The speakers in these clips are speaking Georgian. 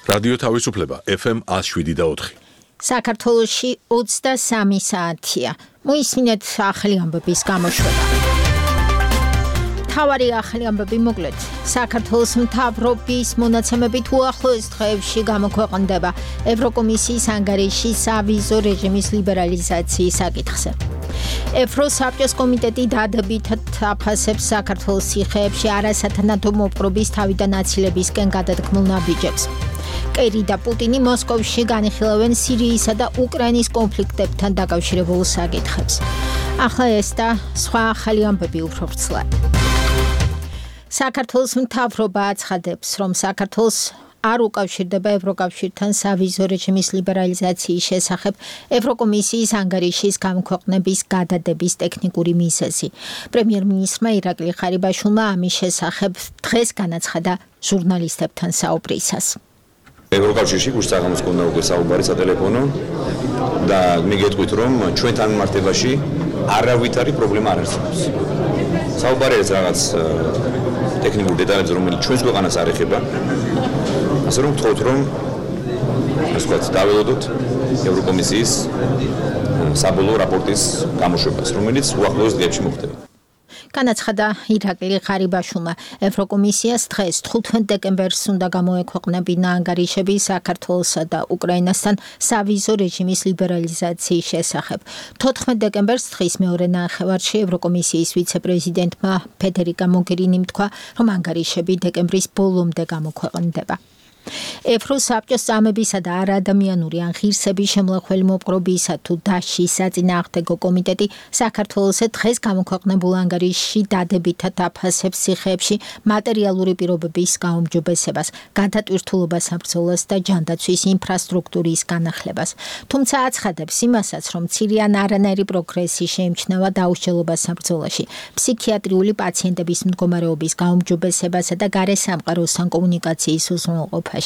რადიო თავისუფლება FM 107.4. საქართველოში 23 საათია. მოისმინეთ ახალი ამბების გამოშვება. თავარი ახალი ამბები მოკლედ. საქართველოს მთავრობის მონაცემებით უახლოეს დღეებში გამოქვეყნდება ევროკომისიის ანგარიში სავიზო რეჟიმის ლიბერალიზაციის საკითხზე. ევროსაბჭოს კომიტეტი დადებითად აფასებს საქართველოს ციხეებში არასათანადო მოპყრობის თავიდან აცილებისკენ გადადგმულ ნაბიჯებს. კერი და პუტინი მოსკოვში განიხილავენ სირიისა და უკრაინის კონფლიქტებთან დაკავშირებულ საკითხებს. ახლა ეს და სხვა ახალი ამბები უფრო ვრცლად. საქართველოს მთავრობა აცხადებს, რომ საქართველოს არ უკავშირდება ევროკავშირთან სავიზო რეჟიმის ლიბერალიზაციის შესახებ ევროკომისიის ანგარიშის გამოქვეყნების გადადების ტექნიკური მიზეზი. პრემიერ-მინისტრმა ირაკლი ხარიბაშვილმა ამის შესახებ დღეს განაცხადა ჟურნალისტებთან საუბრისას. ევროკავშირში გუშინს გქონდა უკვე საუბარი სატელეფონო და მიგეტყვით რომ ჩვენთან მართებაში არავითარი პრობლემა არ არსებობს. საუბარი არის რაღაც ტექნიკურ დეტალებზე, რომელიც ჩვენს ქვეყანას არ ეხება. ასე რომ ვთქვათ, რომ ასე ვთქვათ, დაველოდოთ ევროკომისიის საბოლოო რაპორტის გამოშვებას, რომელიც უახლოეს დღეებში მოხდება. განაცხადა ირაკლი ხარიბაშვილმა. ევროკომისიას დღეს 15 დეკემბერს უნდა გამოექვეყნებინა ანგარიშები საქართველოსა და უკრაინასთან სავიზო რეჟიმის ლიბერალიზაციის შესახებ. 14 დეკემბერს დღის მეორე ნახევარში ევროკომისიის ვიცე-პრეზიდენტმა ფედერიკა მოგერინიმ თქვა, რომ ანგარიშები დეკემბრის ბოლომდე გამოქვეყნდება. ევროსაბჭოს წამებისა და არაადამიანური ან ღირსების შემლახველი მოპყრობისა თუ დაშის საწინააღმდეგო კომიტეტი საქართველოს დღეს გამოქვეყნებულ ანგარიშში დადებითად აფასებს ციხეებში მატერიალური პირობების გაუმჯობესებას, გადატვირთულობას საბრძოლას და ჯანდაცვის ინფრასტრუქტურის განახლებას. თუმცა აცხადებს იმასაც, რომ მცირე ან არანაირი პროგრესი შეიმჩნევა დაუსჯელობას საბრძოლაში, ფსიქიატრიული პაციენტების მდგომარეობის გაუმჯობესებასა და გარესამყაროსთან კომუნიკაციის უზრუნველყოფაში.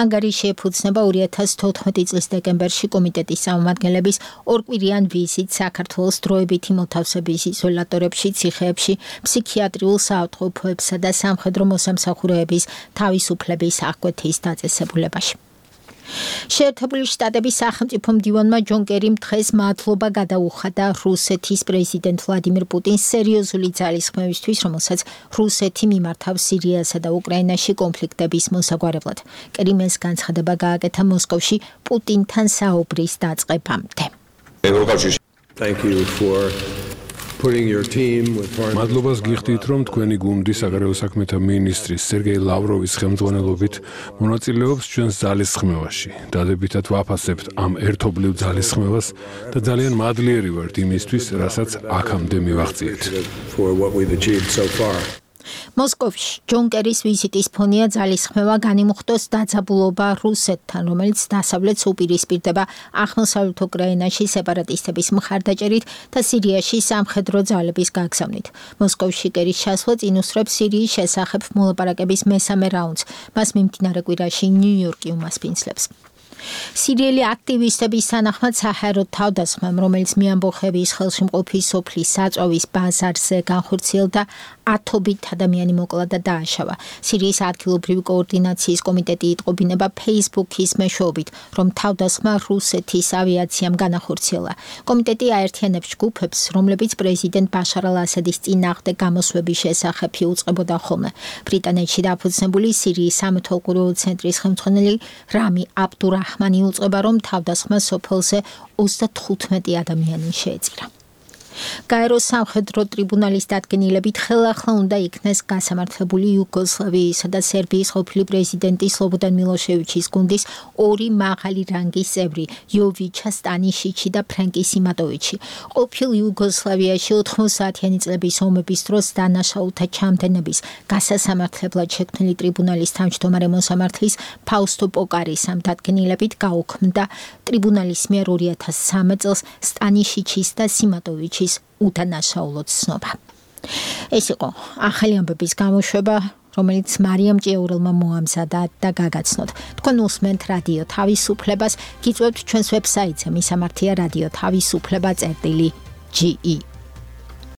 ანგარიში ეფუძნება 2014 წლის დეკემბერში კომიტეტის წარმომადგენლების ორკვირიან ვიზიტს საქართველოს დროებითი მოთავსების იზოლატორებში, ციხეებში, ფსიქიატრიულ საავადმყოფოებსა და სამხედრო მოსამსახურეების თავისუფლების აღკვეთის დაწესებულებაში. შეერთებული შტატების სახელმწიფო მდივანმა ჯონ კერიმ დღეს მადლობა გადაუხადა რუსეთის პრეზიდენტ ვლადიმირ პუტინს სერიოზული ძალისხმევისთვის, რომელსაც რუსეთი მიმართავს სირიასა და უკრაინაში კონფლიქტების მოსაგვარებლად. კერიმ ეს განცხადება გააკეთა მოსკოვში პუტინთან საუბრის დაწყებამდე. მადლობას გიხდით, რომ თქვენი გუნდი საგარეო საქმეთა მინისტრის სერგეი ლავროვის ხელმძღვანელობით მონაწილეობს ჩვენს ძალისხმევაში. დადებითად ვაფასებთ ამ ერთობლივ ძალისხმევას და ძალიან მადლიერი ვართ იმისთვის, რასაც აქამდე მივაღწიეთ. მოსკოვში ჯონ კერის ვიზიტის ფონია ძალისხმევა განიმუხტოს დაძაბულობა რუსეთთან, რომელიც დასავლეთს უპირისპირდება აღმოსავლეთ უკრაინაში სეპარატისტების მხარდაჭერით და სირიაში სამხედრო ძალების გაგზავნით. მოსკოვში კერის ჩასვლა წინ უსწრებს სირიის შესახებ მოლაპარაკების მესამე რაუნდს. მას მიმდინარე კვირაში ნიუ-იორკი უმასპინძლებს. სირიელი აქტივისტების თანახმად საჰაერო თავდასხმამ, რომელიც მიამბოხების ხელში მყოფი სოფლის საწვავის ბაზარზე განხორციელდა, ათობით ადამიანი მოკლა და დააშავა. სირიის ადგილობრივი კოორდინაციის კომიტეტი იტყობინება Facebook-ის მეშვეობით, რომ თავდასხმა რუსეთის ავიაციამ განახორციელა. კომიტეტი აერთიანებს ჯგუფებს, რომლებიც პრეზიდენტ ბაშარ ალ-ასადის წინააღმდეგ გამოსვების შესახებ იუწყებოდა ხოლმე. ბრიტანეთში დაფუძნებული სირიის სამეთვალყურეო ცენტრის ხელმძღვანელი რამი აბდურაჰმანი უწყება, რომ თავდასხმა სოფელზე 35 ადამიანი შეეწირა. გაეროს სამხედრო ტრიბუნალის დადგენილებით ხელახლა უნდა იქნეს გასამართლებული იუგოსლავიისა და სერბიის ყოფილი პრეზიდენტის სლობოდან მილოშევიჩის გუნდის ორი მაღალი რანგის წევრი, იოვიჩა სტანიშიჩი და ფრენკი სიმატოვიჩი. ყოფილ იუგოსლავიაში 90-იანი წლების ომების დროს დანაშაულთა ჩამდენების გასასამართლებლად შექმნილი ტრიბუნალის თავმჯდომარე მოსამართლის ფაუსტო პოკარისამ დადგენილებით გაუქმდა ტრიბუნალის მიერ 2013 წელს სტანიშიჩის და სიმატოვიჩის უდანაშაულოდ ცნობა. ეს იყო ახალი ამბების გამოშვება, რომელიც მარიამ ჭიაურელმა მოამზადა და გაგაცნოთ. თქვენ უსმენთ რადიო თავისუფლებას, გიწევთ ჩვენს ვებსაიტზე მისამართია რადიო თავისუფლება.ge